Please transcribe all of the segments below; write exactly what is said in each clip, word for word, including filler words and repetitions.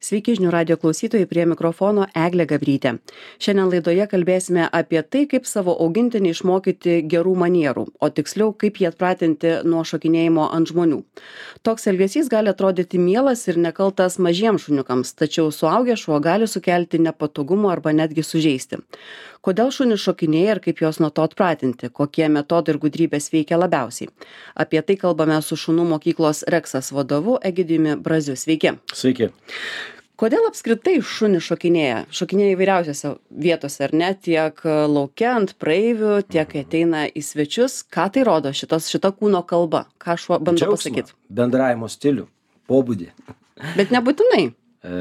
Sveiki žinių radio klausytojai, prie mikrofono Eglė Gabrytė. Šiandien laidoje kalbėsime apie tai, kaip savo augintinį išmokyti gerų manierų, o tiksliau, kaip jį atpratinti nuo šokinėjimo ant žmonių. Toks elgesys gali atrodyti mielas ir nekaltas mažiems šuniukams, tačiau suaugęs šuo gali sukelti nepatogumų arba netgi sužeisti. Kodėl šunys šokinėja ir kaip juos nuo to atpratinti, kokie metodai ir gudrybės veikia labiausiai. Apie tai kalbame su šunų mokyklos Reksas vadovu Egidijumi Braziu. Sveiki. Sveiki. Kodėl apskritai šunys šokinėja? Šokinėja įvairiausiose vietose, ar ne? Tiek lauke ant praeivių, tiek kai ateina į svečius. Ką tai rodo šitas, šita kūno kalba? Ką šuo bando Džiaugsmą, pasakyti? bendravimo stilių, pobūdį. Bet nebūtinai. E,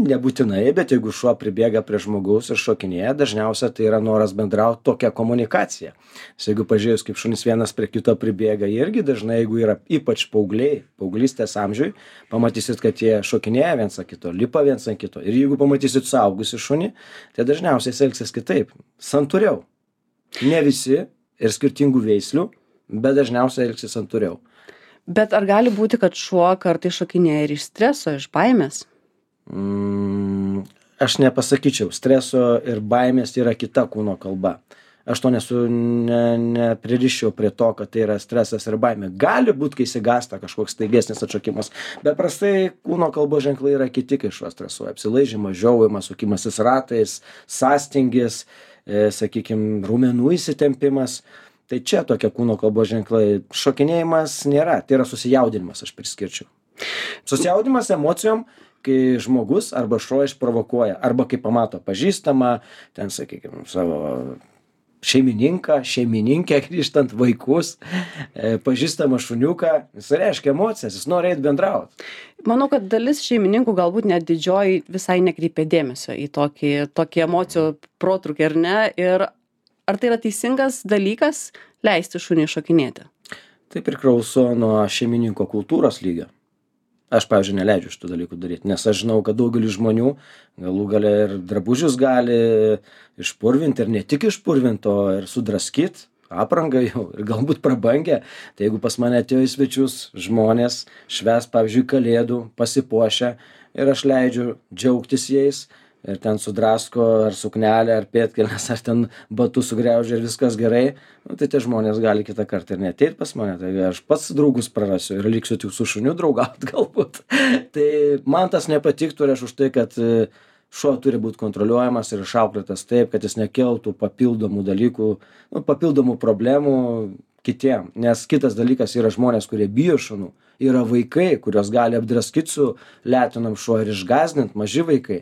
nebūtinai, bet jeigu šuo pribėga prie žmogaus ir šokinėja, dažniausiai tai yra noras bendrauti, tokia komunikacija. Nes jeigu pažiūrėjus, kaip šunys vienas prie kito pribėga, irgi dažnai, jeigu yra ypač paaugliai, paauglystės amžiui, pamatysit, kad jie šokinėja viens ant kito, lipa viens ant kito. Ir jeigu pamatysit suaugusį šunį, tai dažniausiai jis elgsis kitaip, santūriau. Ne visi ir skirtingų veislių, bet dažniausiai elgsis santūriau. Bet ar gali būti, kad šuo kartais šokinėja ir iš streso, iš baimės? Mm, aš nepasakyčiau. Streso ir baimės yra kita kūno kalba. Aš to nesu, ne, nepririščiau prie to, kad tai yra stresas ir baimė. Gali būti, kai įsigąsta kažkoks staigesnis atšokimas, bet prastai kūno kalbos ženklai yra kiti, kai šuo stresuoja. Apsilaižymas, žiaujimas, sukimasis ratais, sąstingis, e, sakykime, raumenų įsitempimas. Tai čia tokie kūno kalbos ženklai. Šokinėjimas nėra, tai yra susijaudinimas, aš priskirčiau. Susijaudinimas emocijom, kai žmogus arba šuo išprovokuoja, arba kai pamato pažįstamą, ten, sakykime, savo šeimininką, šeimininkę, grįžtant vaikus, e, pažįstamą šuniuką, jis reiškia emocijas, jis nori eiti bendrauti. Manau, kad dalis šeimininkų galbūt net didžioji visai nekreipia dėmesio į tokį, tokį emocijų protrūkį, ar ne? Ir ar tai yra teisingas dalykas leisti šunį šokinėti? Tai priklauso nuo šeimininko kultūros lygio. Aš, pavyzdžiui, neleidžiu šitų dalykų daryti, nes aš žinau, kad daugelis žmonių galų gale ir drabužius gali išpurvinti ir ne tik išpurvinti, o ir sudraskyti aprangą jau ir galbūt prabangę. Tai jeigu pas mane atėjo į svečius žmonės švęs, pavyzdžiui, kalėdų, pasipuošę ir aš leidžiu džiaugtis jais, ir ten sudrasko ar suknelę, ar pėdkelnes, ar ten batus sugriaužia ir viskas gerai, nu, tai tie žmonės gali kitą kartą ir neateit pas mane, tai aš pats draugus prarasiu ir liksiu tik su šuniu draugauti galbūt. Tai man tas nepatiktų ir aš už tai, kad šuo turi būti kontroliuojamas ir išauklėtas taip, kad jis nekeltų papildomų dalykų, nu, papildomų problemų kitiem. Nes kitas dalykas yra žmonės, kurie bijo šunų, yra vaikai, kurios gali apdraskyti su letinam šuo ir išgąsdinti, maži vaikai.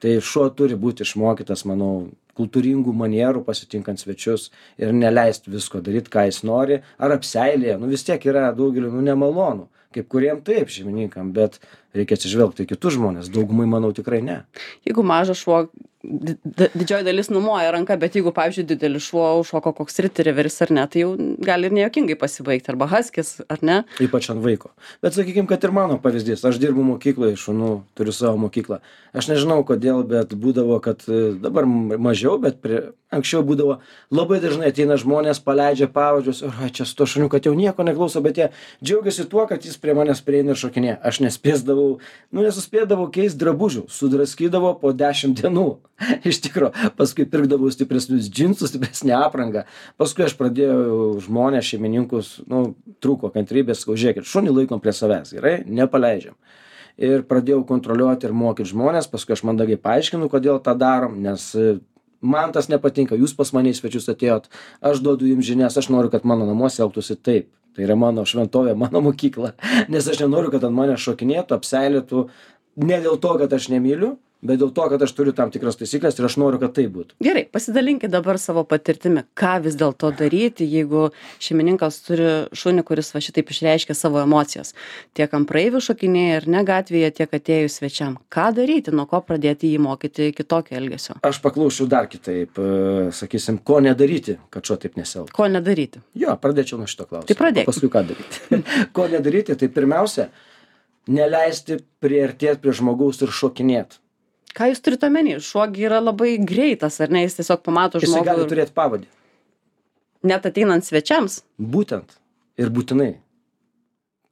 Tai šuo turi būti išmokytas, manau, kultūringų manierų pasitinkant svečius ir neleisti visko daryti, ką jis nori, ar apseilėje. Nu vis tiek yra daugeliu, nu, nemalonu. Kaip kuriem taip šeimininkam, bet reikia atsižvelgti į kitus žmonės. Daugumai, manau, tikrai ne. Jeigu mažas šuo, di didžioji dalis numoja ranką, bet jeigu, pavyzdžiui, didelis šuo užšoko koks retrieveris ar ne, tai jau gali ir nejuokingai pasibaigti, arba haskis, ar ne? Ypač ant vaiko. Bet sakykime, kad ir mano pavyzdys. Aš dirbu mokykloje, šunų, turiu savo mokyklą. Aš nežinau kodėl, bet būdavo, kad dabar mažiau, bet prie, anksčiau būdavo labai dažnai ateina žmonės, paleidžia pavadžius, o čia su to šuniu, kad jau nieko neklauso, bet jie džiaugiasi tuo, kad jis prie manęs prieina ir šokinėja. Aš nespėsdavau, nu nesuspėdavau keisti drabužių, sudraskydavau po dešimt dienų. Iš tikro, paskui pirkdavau stipresnius džinsus, stipresnę aprangą. Paskui aš pradėjau žmonės, šeimininkus, nu, trūko kantrybės, sakau, žiūrėkit, šunį laikom prie savęs, gerai, nepaleidžiam. Ir pradėjau kontroliuoti ir mokyti žmonės, paskui aš mandagiai paaiškinu, kodėl tą darom, nes man tas nepatinka, jūs pas mane į svečius atėjot, aš duodu jums žinias, aš noriu, kad mano namuose elgtųsi taip. Tai yra mano šventovė, mano mokykla, nes aš nenoriu, kad ant mane šokinėtų, apseilėtų, ne dėl to, kad aš nemyliu, bet dėl to, kad aš turiu tam tikras taisyklės ir aš noriu, kad tai būtų. Gerai, pasidalinkit dabar savo patirtimi, ką vis dėlto daryti, jeigu šeimininkas turi šunį, kuris va šitaip išreiškia savo emocijas. Tiek ant praeivių šokinėja ir ne gatvėje, tiek atėjus svečiam. Ką daryti, nuo ko pradėti jį mokyti kitokio elgesio? Aš paklausčiau dar kitaip, sakysim, ko nedaryti, kad šuo taip nesielgtų. Ko nedaryti? Jo, pradėčiau nuo šito klausimo. Tai pradėk. Paskui ką daryti. Ko nedaryti, tai pirmiausia, neleisti priartėti prie žmogaus ir šokinėti. Ką jūs turite omeny? Šuo yra labai greitas, ar ne? Jis tiesiog pamato žmogų. Jis gali turėti pavadį. Net ateinant svečiams? Būtent. Ir būtinai.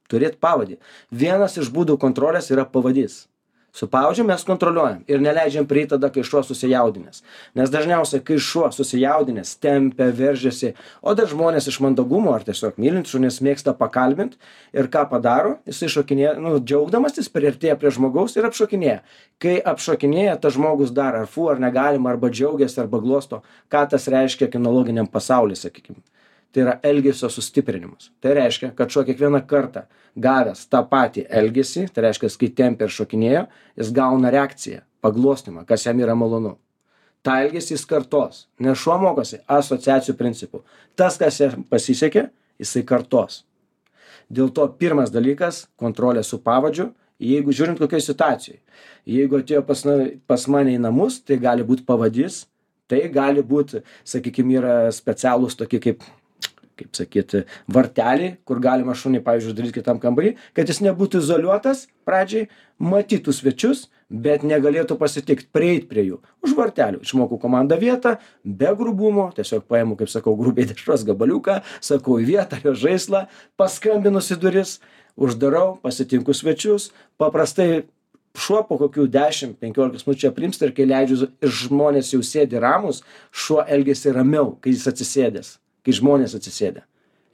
Turėti pavadį. Vienas iš būdų kontrolės yra pavadys. Su pavadžiu mes kontroliuojam ir neleidžiam prieiti tada, kai šuo susijaudinęs. Nes dažniausiai, kai šuo susijaudinęs, tempia, veržiasi, o dar žmonės iš mandagumo ar tiesiog mylint šunis mėgsta pakalbinti ir ką padaro, jisai šokinėja, nu, džiaugdamas jis priartėja prie žmogaus ir apšokinėja. Kai apšokinėja, tas žmogus dar ar fu, ar negalima, arba džiaugiasi, arba glosto, ką tas reiškia kinologiniam pasauliu, sakykime. Tai yra elgesio sustiprinimas. Tai reiškia, kad šuo kiekvieną kartą gavęs tą patį elgesį, tai reiškia, kai tempia ir šokinėjo, jis gauna reakciją, paglostimą, kas jam yra malonu. Ta elgesį jis kartos, nes šuo mokosi asociacijų principų. Tas, kas jam pasisekė, jisai kartos. Dėl to pirmas dalykas - kontrolė su pavadžiu, jeigu žiūrint kokioj situacijai. Jeigu atėjo pas, pas mane į namus, tai gali būti pavadys, tai gali būti, sakykime, yra specialūs tokie kaip kaip sakyti, varteliai, kur galima šunį, pavyzdžiui, uždaryti kitam kambarį, kad jis nebūtų izoliuotas pradžiai, matytų svečius, bet negalėtų pasitikti, prieiti prie jų. Už vartelių. Išmokau komandą vietą, be grubumo, tiesiog paimu, kaip sakau, grubiai dešros gabaliuką, sakau į vietą, jo žaislą, paskambinus į duris, uždarau, pasitinku svečius, paprastai šuo po kokių dešimt penkiolikos minučių aprimsta ir kai leidžiu ir žmonės jau sėdi ramus, šuo elgiasi ramiau, kai jis atsisėdęs. Kai žmonės atsisėdė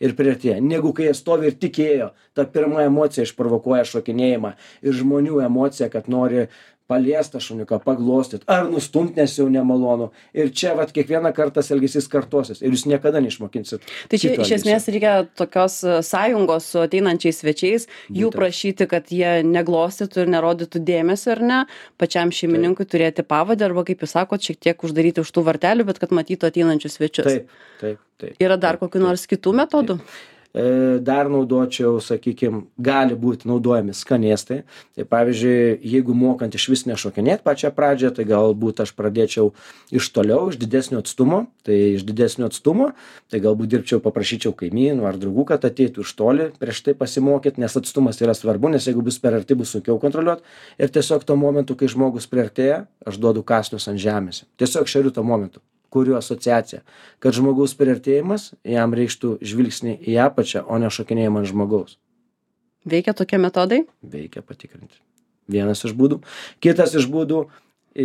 ir priartėja, negu kai jie stovi ir tikėjo, ta pirma emocija išprovokuoja šokinėjimą ir žmonių emocija, kad nori paliestą šuniuką, paglostyti, ar nustumti, nes jau nemalonu. Ir čia vat kiekvieną kartą elgesys kartosis ir jūs niekada neišmokinsit. Tai čia iš esmės reikia tokios sąjungos su ateinančiais svečiais, jų Būtent. prašyti, kad jie neglostytų ir nerodytų dėmesio, ar ne, pačiam šeimininkui taip. Turėti pavadą, arba, kaip jūs sakot, šiek tiek uždaryti už tų vartelių, bet kad matytų ateinančius svečius. Taip, taip, taip. Yra dar kokių nors kitų metodų? Taip. Dar naudočiau, sakykime, gali būti naudojami skanėstai. Tai pavyzdžiui, jeigu mokant iš vis nešokinėti pačią pradžią, tai galbūt aš pradėčiau iš toliau, iš didesnio atstumo. Tai iš didesnio atstumo, tai galbūt dirbčiau, paprašyčiau kaimynų ar draugų, kad ateitų iš toli prieš tai pasimokyti, nes atstumas yra svarbu, nes jeigu bus per arti, bus sunkiau kontroliuoti. Ir tiesiog tuo momentu, kai žmogus priartėja, aš duodu kąsnius ant žemės. Tiesiog šeriu tuo momentu. Kurių asociacija, kad žmogaus priartėjimas jam reikštų žvilgsnį į apačią, o ne šokinėjimą ant žmogaus. Veikia tokie metodai? Veikia patikrinti. Vienas iš būdų. Kitas iš būdų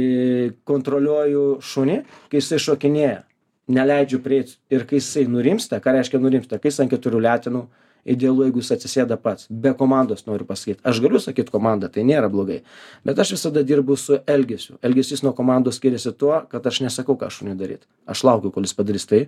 - kontroliuoju šunį, kai jisai šokinėja. Neleidžiu prieiti ir kai jisai nurimsta, ką reiškia nurimsta, kai jis ant keturių letenų, idealu, jeigu jis atsisėda pats. Be komandos noriu pasakyti. Aš galiu sakyti komandą, tai nėra blogai. Bet aš visada dirbu su elgesiu. Elgesys nuo komandos skiriasi tuo, kad aš nesakau, ką šuniui daryti. Aš laukiu, kol jis padarys tai,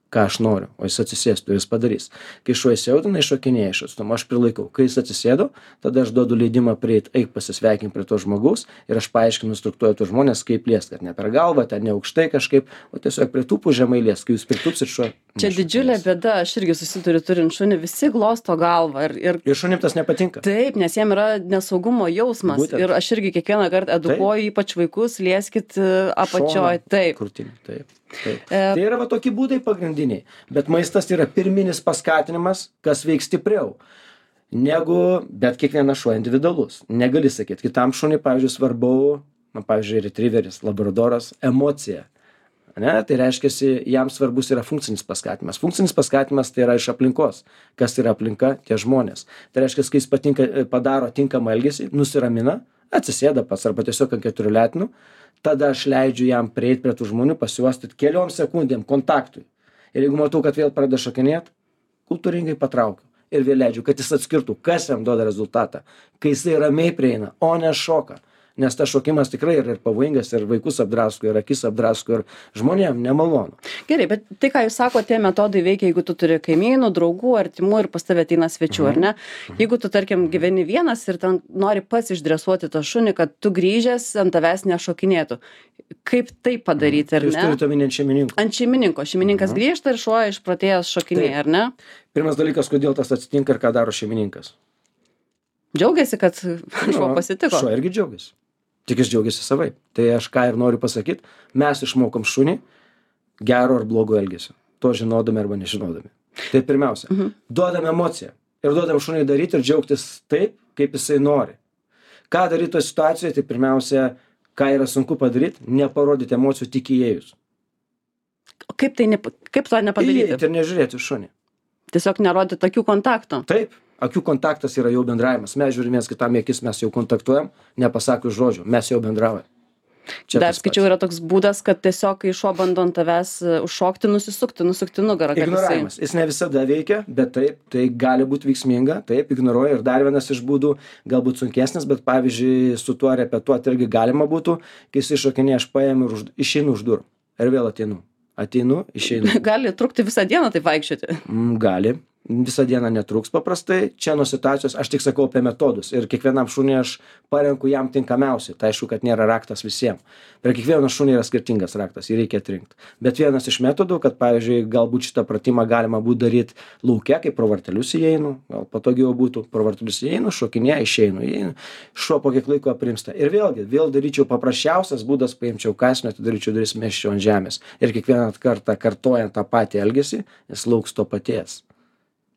ką aš noriu, o jis atsisėstų ir jis padarys. Kai šuo įsiaudina, šokinėja iš atstumo, aš prilaikau. Kai jis atsisėdo, tada aš duodu leidimą prieiti, eik pasisveikinti prie to žmogaus ir aš paaiškinu, instruktuoju tuos žmonės, kaip liest, kad ne per galvą, ten ne aukštai kažkaip, o tiesiog prie tų žemai liest, kai jūs pritupsit šuo. Čia didžiulė bėda, aš irgi susiduriu turint šunį, visi glosto galvą. Ir, ir... ir šunim tas nepatinka. Taip, nes jiem yra nesaugumo jausmas. Būtent. Ir aš irgi kiekvieną kartą edukuoju, ypač vaikus, lieskit apačioj. Taip. Krūtinį, taip. Taip. E... Tai yra va tokie būdai pagrindiniai, bet maistas yra pirminis paskatinimas, kas veiks stipriau negu, bet kiekvienas šuo individualus. Negali sakyti, kitam šuniui, pavyzdžiui, svarbu, na, pavyzdžiui, retrieveris, labradoras, emocija. Ne? Tai reiškia, jam svarbus yra funkcinis paskatinimas. Funkcinis paskatinimas tai yra iš aplinkos. Kas yra aplinka? Tie žmonės. Tai reiškia, kai jis patinka, padaro tinkamą elgesį, nusiramina, atsisėda pats arba tiesiog ant keturių letenų, tada aš leidžiu jam prieiti prie tų žmonių, pasiuostyti keliom sekundėm kontaktui. Ir jeigu matau, kad vėl pradeda šokinėti, kultūringai patraukiu. Ir vėl leidžiu, kad jis atskirtų, kas jam duoda rezultatą. Kai jisai ramiai prieina, o ne šoka. Nes tas šokimas tikrai yra ir pavojingas, ir vaikus apdrasko, ir akis apdrasko, ir žmonėm nemalonu. Gerai, bet tai, ką jūs sakote, tie metodai veikia, jeigu tu turi kaimynų, draugų, artimų ir pas tave ateina svečių, mhm. ar ne? Jeigu tu, tarkim, gyveni vienas ir ten nori pats išdresuoti tą šunį, kad tu grįžęs ant tavęs nešokinėtų. Kaip tai padaryti, ar ne? Jūs turite omeny ant šeimininko. Ant šeimininko. Šeimininkas mhm. grįžta ir šuo išprotėjęs šokinėja, ar ne? Pirmas dalykas, kodėl tas atsitinka ir ką daro šeimininkas. Džiaugiasi, kad šuo pasitiko. Šuo irgi džiaugiasi. Tik jis džiaugiasi savaip. Tai aš ką ir noriu pasakyti, mes išmokom šunį gero ar blogo elgesio. To žinodami arba nežinodami. Tai pirmiausia, mhm. duodam emociją. Ir duodam šuniui daryti ir džiaugtis taip, kaip jisai nori. Ką daryti toje situacijoje, tai pirmiausia, ką yra sunku padaryti, neparodyti emocijų tik įėjus. Kaip, tai ne, kaip to nepadaryti? Įėjti ir nežiūrėti šunį. Tiesiog nerodyti tokių kontaktų. Taip. Akių kontaktas yra jau bendravimas. Mes žiūrim viens kitam į akis, mes jau kontaktuojam, nepasakius žodžio, mes jau bendraujam. Čia dar skaičiau, yra toks būdas, kad tiesiog, kai šuo bando ant tavęs užšokti, nusisukti, nusukti nugarą. Ignoravimas. Jisai... Jis ne visada veikia, bet taip, tai gali būti veiksminga, taip, ignoruoja. Ir dar vienas iš būdų, galbūt sunkesnis, bet pavyzdžiui, su tuo repetuoti irgi galima būtų, kai jis iššokinė, aš paėmiu ir už... išeinu už durų. Ir vėl ateinu. Ateinu, išeinu. Gali trukti visą dieną taip vaikščioti. Mm, gali. Visą dieną netruks paprastai. Čia nuo situacijos, aš tik sakau apie metodus. Ir kiekvienam šuniui aš parenku jam tinkamiausiai. Tai aišku, kad nėra raktas visiems. Prie kiekvieno šunį yra skirtingas raktas, jį reikia atrinkti. Bet vienas iš metodų, kad pavyzdžiui, galbūt šitą pratimą galima būtų daryti lauke, kai pro vartelius įeinu, gal patogiau būtų, pro vartelius įeinu, šokinė, išeinu, įeinu. Šuo po kiek laiko aprimsta. Ir vėlgi, vėl daryčiau paprasčiausias būdas, paimčiau kąsnį, atidaryčiau duris, mesčiau ant žemės. Ir kiekvieną kartą kartojant tą patį elgesį, jis lauks to paties.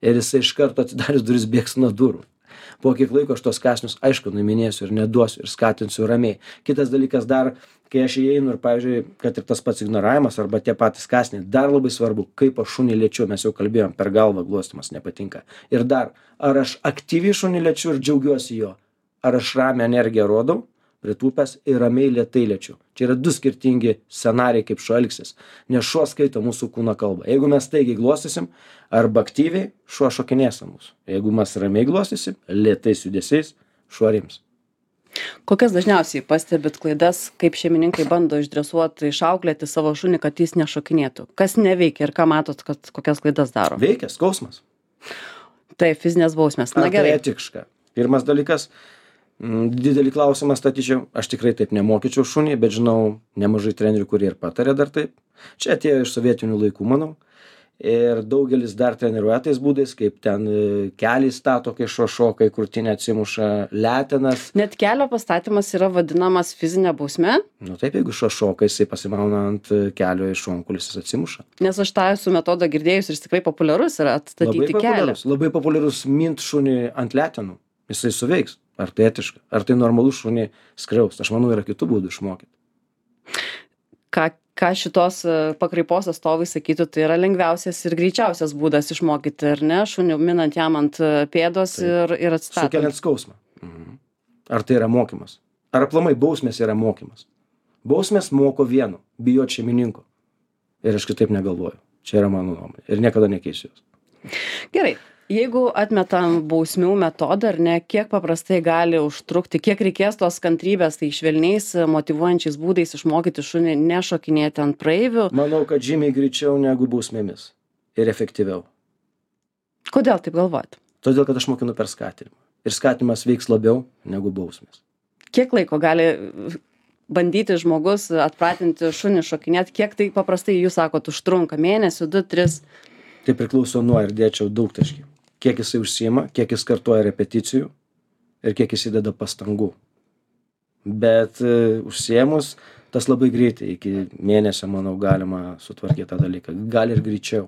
Ir jisai iš karto atidarius duris bėgs nuo durų. Po kiek laiko aš tos kąsnius, aišku, nuiminėsiu ir neduosiu ir skatinsiu ramiai. Kitas dalykas dar, kai aš įeinu ir, pavyzdžiui, kad ir tas pats ignoravimas arba tie patys kąsniai, dar labai svarbu, kaip aš šunį liečiu, mes jau kalbėjom, per galvą glostymas nepatinka. Ir dar, ar aš aktyviai šunį liečiu ir džiaugiuosi jo, ar aš ramią energiją rodau, pritūpęs ir ramiai lėtai liečiu. Čia yra du skirtingi scenarijai, kaip šuo elgsis. Nes šuo skaito mūsų kūno kalbą. Jeigu mes staigiai glostysim arba aktyviai, šuo šokinės mūsų. Jeigu mes ramiai glostysim, lėtais judesiais, šuo rims. Kokias dažniausiai pastebit klaidas, kaip šeimininkai bando išdresuoti, išauklėti savo šunį, kad jis nešokinėtų? Kas neveikia ir ką matot, kad kokias klaidas daro? Veikia skausmas. Tai fizinės bausmės. Na gerai. Tai etiška. Pirmas dalykas, didelį klausimą statyčiau, aš tikrai taip nemokyčiau šunį, bet žinau nemažai trenerių, kurie ir patarė dar taip. Čia atėjo iš sovietinių laikų, manau. Ir daugelis dar treniruoja tais būdais, kaip ten kelį stato, kai šuo šoka, krūtinę atsimuša, letenas. Net kelio pastatymas yra vadinamas fizinė bausmė? Nu taip, jeigu šuo šoka, jisai pasimauna ant kelio iš šonkulis, jis atsimuša. Nes aš tą esu metodą girdėjus ir jis tikrai populiarus yra atstatyti labai kelią. Labai populiarus mint šunį ant letenų. Jisai suveiks. Ar tai etiška? Ar tai normalu šunį skriaust? Aš manau, yra kitų būdų išmokyti. Ką, ką šitos pakraipos atstovai sakytų, tai yra lengviausias ir greičiausias būdas išmokyti, ar ne? Šunį minant jam ant pėdos ir, ir atstatant. Sukeliant skausmą. Mhm. Ar tai yra mokymas? Ar aplamai bausmės yra mokymas? Bausmės moko vieno, bijot šeimininko. Ir aš kitaip negalvoju. Čia yra mano nuomonė. Ir niekada nekeisiu jos. Gerai. Jeigu atmetam bausmių metodą, ar ne, kiek paprastai gali užtrukti, kiek reikės tos kantrybės, tai švelniais, motyvuojančiais būdais išmokyti šunį nešokinėti ant praeivių? Manau, kad žymiai greičiau negu bausmėmis. Ir efektyviau. Kodėl taip galvojat? Todėl, kad aš mokinu per skatinimą. Ir skatinimas veiks labiau negu bausmės. Kiek laiko gali bandyti žmogus atpratinti šunį šokinėti? Kiek tai paprastai, jūs sakot, užtrunka? Mėnesį, du, tris? Tai priklauso nuo ir dėčiau daug taškių. Kiek jisai užsiima, kiek jis kartuoja repeticijų ir kiek jis įdeda pastangų. Bet uh, užsiėmus, tas labai greitai, iki mėnesio, manau, galima sutvarkyti tą dalyką. Gali ir greičiau.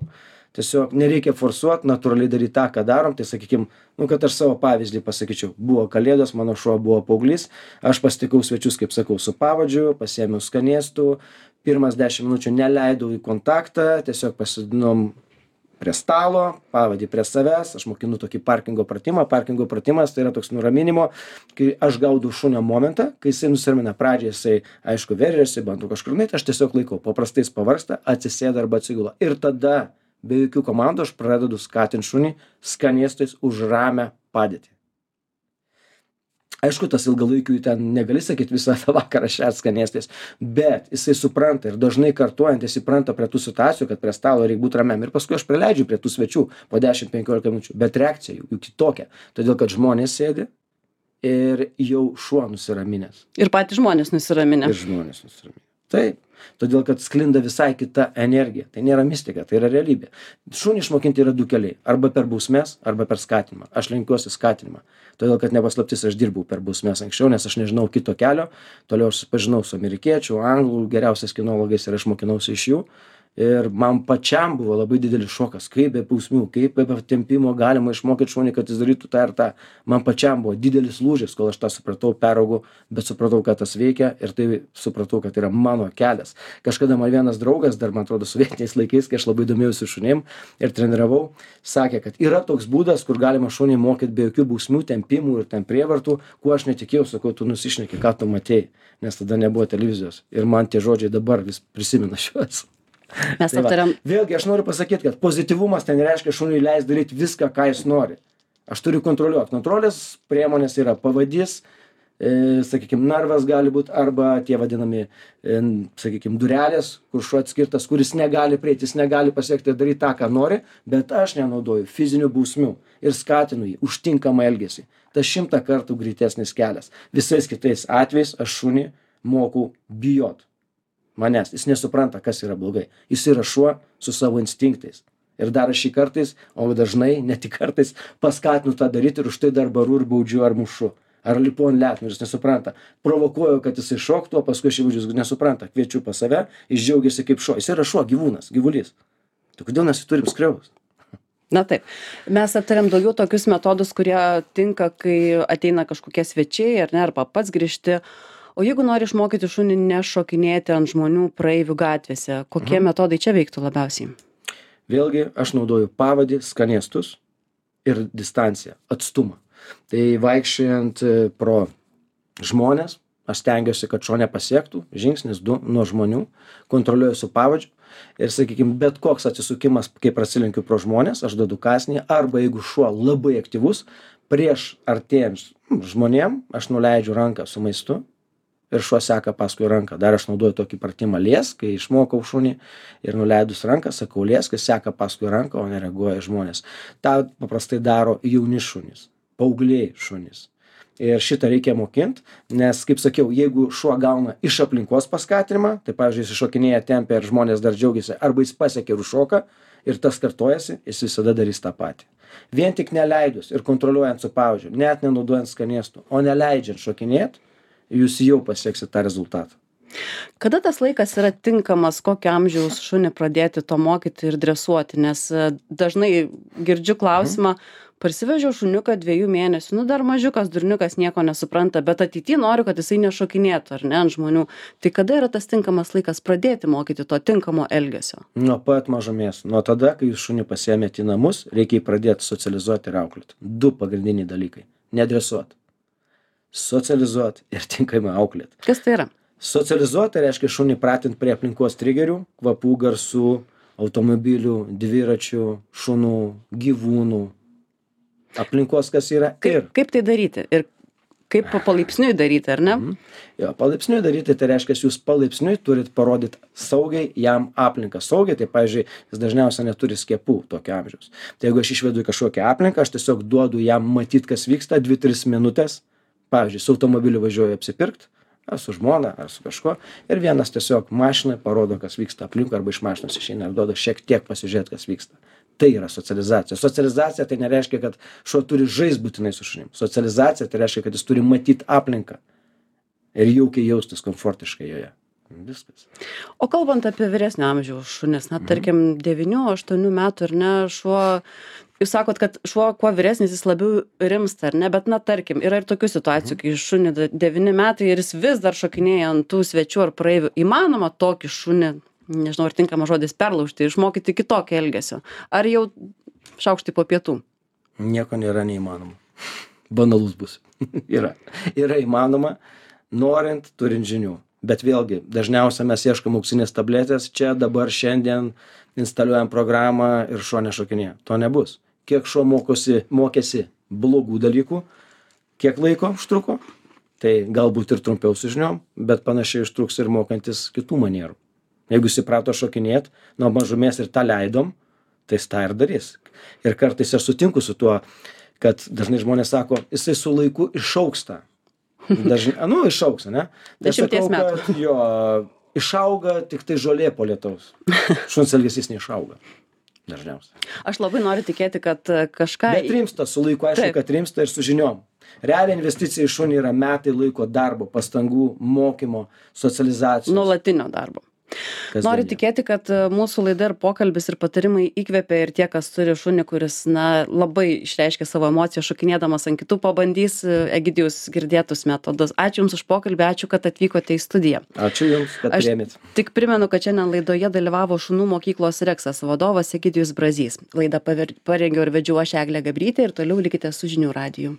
Tiesiog nereikia forsuoti, natūraliai daryti tą, ką darom. Tai sakykim, nu, kad aš savo pavyzdį pasakyčiau. Buvo kalėdos, mano šuo buvo paauglys, aš pasitikau svečius, kaip sakau, su pavadžiu, pasiėmiau skanėstų, pirmas dešimt minučių neleidau į kontaktą, tiesiog pasidinom prie stalo, pavadį prie savęs, aš mokinu tokį parkingo pratimą. Parkingo pratimas tai yra toks nuraminimo, kai aš gaudau šunio momentą, kai jisai nusiramina pradžiai, jisai aišku veržiasi, bandau kažkur nueiti, aš tiesiog laikau, paprastai jis pavargsta, atsisėda arba atsigula. Ir tada be jokių komandų aš pradedu skatinti šunį skanėstais už ramią padėtį. Aišku, tas ilgalaikių ten negali sakyti visą tą vakarą šert skanėstais, bet jisai supranta ir dažnai kartuojant, jis įpranta prie tų situacijų, kad prie stalo reikia būti ramiam. Ir paskui aš prileidžiu prie tų svečių po dešimt penkiolika minučių, bet reakcija jų, jų kitokia. Todėl, kad žmonės sėdi ir jau šuo nusiraminęs. Ir patys žmonės nusiraminę. Ir žmonės nusiraminę. Taip. Todėl, kad sklinda visai kita energija. Tai nėra mistika, tai yra realybė. Šunį išmokinti yra du keliai. Arba per bausmes, arba per skatinimą. Aš lenkiuosi skatinimą. Todėl, kad nepaslaptis, aš dirbau per bausmes anksčiau, nes aš nežinau kito kelio. Toliau aš pažinau su amerikiečių, anglų, geriausiais kinologais ir aš mokinausi iš jų. Ir man pačiam buvo labai didelis šokas, kaip be bausmių, kaip be tempimo galima išmokyti šunį, kad jis darytų tą ir tą. Man pačiam buvo didelis lūžis, kol aš tą supratau, peraugau, bet supratau, kad tas veikia ir tai supratau, kad yra mano kelias. Kažkada man vienas draugas, dar man atrodo sovietiniais laikais, kai aš labai domėjausi šunim ir treniravau, sakė, kad yra toks būdas, kur galima šunį mokyti be jokių bausmių, tempimų ir ten prievartų, kuo aš netikėjau, sakau, tu nusišneki, ką tu matei, nes tada nebuvo televizijos. Ir man tie žodžiai dabar vis prisimena šiuos. Mes Tai va, aptariam. vėlgi aš noriu pasakyti, kad pozityvumas ten reiškia šuniui leis daryti viską, ką jis nori. Aš turiu kontroliuoti. Kontrolės priemonės yra pavadys, e, sakykime, narvas gali būti arba tie vadinami, e, sakykime, durelės, kur šuo atskirtas, kuris negali prieiti, jis negali pasiekti ir daryti tą, ką nori, bet aš nenaudoju fizinių bausmių ir skatinu jį už tinkamą elgesį. Tas šimtą kartų greitesnis kelias. Visais kitais atvejais aš šunį mokau bijot manęs. Jis nesupranta, kas yra blogai. Jis yra šuo su savo instinktais. Ir dar aš jį kartais, o dažnai, ne tik kartais, paskatinu tą daryti ir už tai dar baru ir baudžiu ar mušu. Ar lipu ant letenų, jis nesupranta. Provokuoju, kad jisai šoktų, o paskui aš jį važiuoju, nesupranta. Kviečiu pas save, jis džiaugiasi kaip šuo. Jis yra šuo, gyvūnas, gyvulys. Tai kodėl mes jį turim skriaust? Na taip. Mes aptariam daugiau tokius metodus, kurie tinka, kai ateina kažkokie svečiai, ar ne, arba pats grįžti. O jeigu nori išmokyti šunį nešokinėti ant žmonių praeivių gatvėse, kokie mhm. metodai čia veiktų labiausiai? Vėlgi, aš naudoju pavadį, skanėstus ir distanciją, atstumą. Tai vaikščiojant pro žmonės, aš stengiuosi, kad šuo nepasiektų, žingsnis du nuo žmonių, kontroliuoju su pavadžiu ir, sakykime, bet koks atsisukimas, kai prasilenkiu pro žmonės, aš duodu kąsnį, arba jeigu šuo labai aktyvus, prieš artėjant žmonėm, aš nuleidžiu ranką su maistu. Ir šuo seka paskui ranką. Dar aš naudoju tokį pratimą liesk, kai išmokau šunį ir nuleidus ranką, sakau liesk, jis seka paskui ranką, o nereaguoja žmonės. Ta paprastai daro jauni šunys, paaugliai šunys. Ir šitą reikia mokinti, nes, kaip sakiau, jeigu šuo gauna iš aplinkos paskatinimą, tai, pavyzdžiui, jis iššokinėja tempę ir žmonės dar džiaugiasi, arba jis pasiekia ir užšoka ir tas kartojasi, jis visada darys tą patį. Vien tik neleidus ir kontroliuojant su pavadžiu, net nenaudojant skanėstų, o neleidžiant šokinėti, jūs jau pasieksit tą rezultatą. Kada tas laikas yra tinkamas, kokio amžiaus šunį pradėti to mokyti ir dresuoti? Nes dažnai girdžiu klausimą, parsivežiau šuniuką dviejų mėnesių, nu dar mažiukas, durniukas nieko nesupranta, bet ateityje noriu, kad jisai nešokinėtų, ar ne, ant žmonių. Tai kada yra tas tinkamas laikas pradėti mokyti to tinkamo elgesio? Nuo pat mažumės. Nuo tada, kai jūs šunį pasiėmėte į namus, reikia jį pradėti socializuoti ir auklėti. Du pagrindiniai dalykai. Nedresuoti. Socializuoti ir tinkamai auklėti. Kas tai yra? Socializuoti reiškia šunį pratinti prie aplinkos trigerių, kvapų, garsų, automobilių, dviračių, šunų, gyvūnų, aplinkos, kas yra. Kaip, ir... kaip tai daryti? Ir kaip palaipsniui daryti, ar ne? Mhm. Jo, palaipsniui daryti, tai reiškia, jūs palaipsniui turit parodyti saugiai jam aplinką. Saugiai, tai, pavyzdžiui, jis dažniausiai neturi skiepų tokio amžiaus. Tai jeigu aš išvedu į kažkokią aplinką, aš tiesiog duodu jam matyti, kas vyksta, dvi tris minutės. Pavyzdžiui, su automobiliu važiuoju apsipirkt, ar su žmona, ar su kažkuo, ir vienas tiesiog mašinai parodo, kas vyksta aplinkui, arba iš mašinos išeina ir duoda šiek tiek pasižiūrėti, kas vyksta. Tai yra socializacija. Socializacija tai nereiškia, kad šuo turi žaisti būtinai su šunim. Socializacija tai reiškia, kad jis turi matyti aplinką ir jaukiai jaustis komfortiškai joje. Viskas. O kalbant apie vyresnio amžiaus šunis, na, tarkim, devynių, aštuonių metų, ar ne, šuo, jūs sakot, kad šuo kuo vyresnis, jis labiau rimsta, ar ne, bet, na, tarkim, yra ir tokių situacijų, kai šunį devyni metai ir jis vis dar šokinėja ant tų svečių ar praeivių. Įmanoma tokį šunį, nežinau, ar tinkamas žodis, perlaužti, išmokyti kitokio elgesio? Ar jau šaukštai po pietų? Nieko nėra neįmanoma. Banalus bus. yra. Yra įmanoma, norint, turint žinių. Bet vėlgi, dažniausiai mes ieškom auksinės tabletės, čia dabar šiandien instaliuojam programą ir šuo nešokinėja. To nebus. Kiek šuo mokosi, mokėsi blogų dalykų, kiek laiko užtruko, tai galbūt ir trumpiau su žiniom, bet panašiai užtruks ir mokantis kitų manierų. Jeigu jis įprato šokinėti, nuo mažumės ir tą leidom, tai jis tą ir darys. Ir kartais aš sutinku su tuo, kad dažnai žmonės sako, jisai su laiku išauksta. Dažnai, nu, išauks, ne? Dešimties metų. Kad, jo, išauga tik tai žolė po lietaus. Šuns elgesys neišauga. Dažniausiai. Aš labai noriu tikėti, kad kažką... Bet rimsta, su laiku aišku, Taip. kad rimsta ir su žiniom. Realiai investicija į šunį yra metai laiko darbo, pastangų, mokymo, socializacijos. Nuolatinio darbo. Noriu tikėti, kad mūsų laida ir pokalbis ir patarimai įkvepia ir tie, kas turi šunį, kuris na, labai išreiškia savo emociją, šokinėdamas ant kitų, pabandys Egidijus girdėtus metodus. Ačiū Jums už pokalbį, ačiū, kad atvykote į studiją. Ačiū Jums, kad priėmėt. Tik primenu, kad šiandien laidoje dalyvavo šunų mokyklos Reksas vadovas Egidijus Brazys. Laidą parengiau ir vedžiau aš Eglė Gabrytė ir toliau likite su žinių radiju.